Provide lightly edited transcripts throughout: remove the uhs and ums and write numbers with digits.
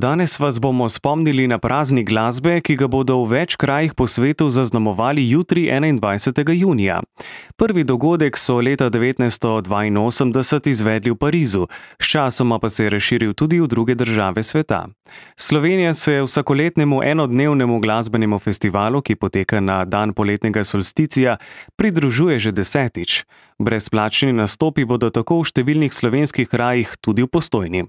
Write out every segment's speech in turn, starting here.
Danes vas bomo spomnili na praznik glasbe, ki ga bodo v več krajih po svetu zaznamovali jutri 21. junija. Prvi dogodek so leta 1982 izvedli v Parizu, sčasoma pa se je razširil tudi v druge države sveta. Slovenija se vsakoletnemu enodnevnemu glasbenemu festivalu, ki poteka na dan poletnega solsticija, pridružuje že 10. Brezplačni nastopi bodo tako v številnih slovenskih krajih tudi v Postojni.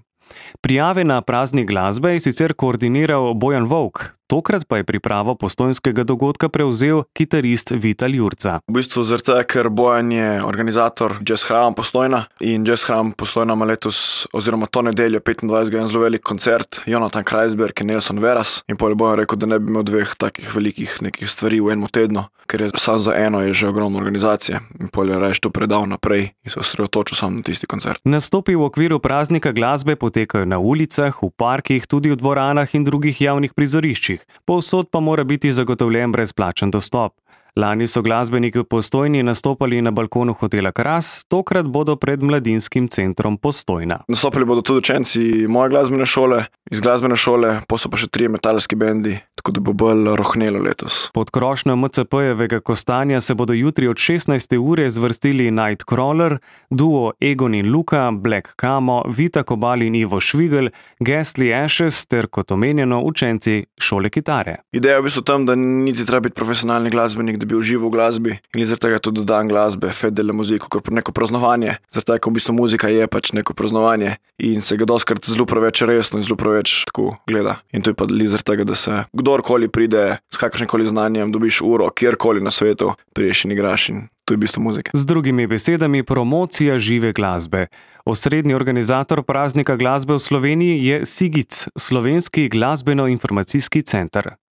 Prijave na praznik glasbe je sicer koordiniral Bojan Volk, tokrat pa je pripravo postojnskega dogodka prevzel kitarist Vital Jurca. V bistvu zaradi tega, ker Bojan je organizator Jazz Hrama Postojna in Jazz Hram Postojna ima letos, oziroma to nedeljo 25. en zelo velik koncert, Jonathan Kreisberg in Nelson Veras, in potem je Bojan rekel, da ne bi imel dveh takih velikih nekih stvari v enem tednu, ker je sam za eno je že ogromno organizacije in potem je rajš to predal naprej in se osredotočil sam na tisti koncert. Nastopi v okviru praznika glasbe potekajo na ulicah, v parkih, tudi v dvoranah in drugih javnih prizoriščih. Povsod pa mora biti zagotovljen brezplačen dostop. Lani so glasbeniki v Postojni nastopali na balkonu hotela Kras, tokrat bodo pred Mladinskim centrom Postojna. Nastopili bodo tudi učenci moje glasbene šole, iz glasbene šole, so pa še 3 metalski bendi, tako da bo bolj rohnelo letos. Pod krošnjo MCP-jevega kostanja se bodo jutri od 16. ure zvrstili Nightcrawler, duo Egon in Luka, Black Camo, Vita Kobal in Ivo Švigel, Ghastly Ashes ter kot omenjeno učenci šole kitare. Ideja je v bistvu tam, da niti treba biti profesionalni glasbenik, da bi užival v glasbi in zaradi tega tudi dan glasbe, fête de la musique, kot neko praznovanje, zaradi tega, v bistvu muzika je pač neko praznovanje in se ga dostikrat zelo preveč resno in zelo preveč tako gleda. In to je pa zaradi tega, da se kdorkoli pride s kakršnikoli znanjem, dobiš uro, kjerkoli na svetu, priješ in igraš in to je v bistvu muzika. Z drugimi besedami, promocija žive glasbe. Osrednji organizator praznika glasbe v Sloveniji je SIGIC, Slovenski glasbeno-informacijski center.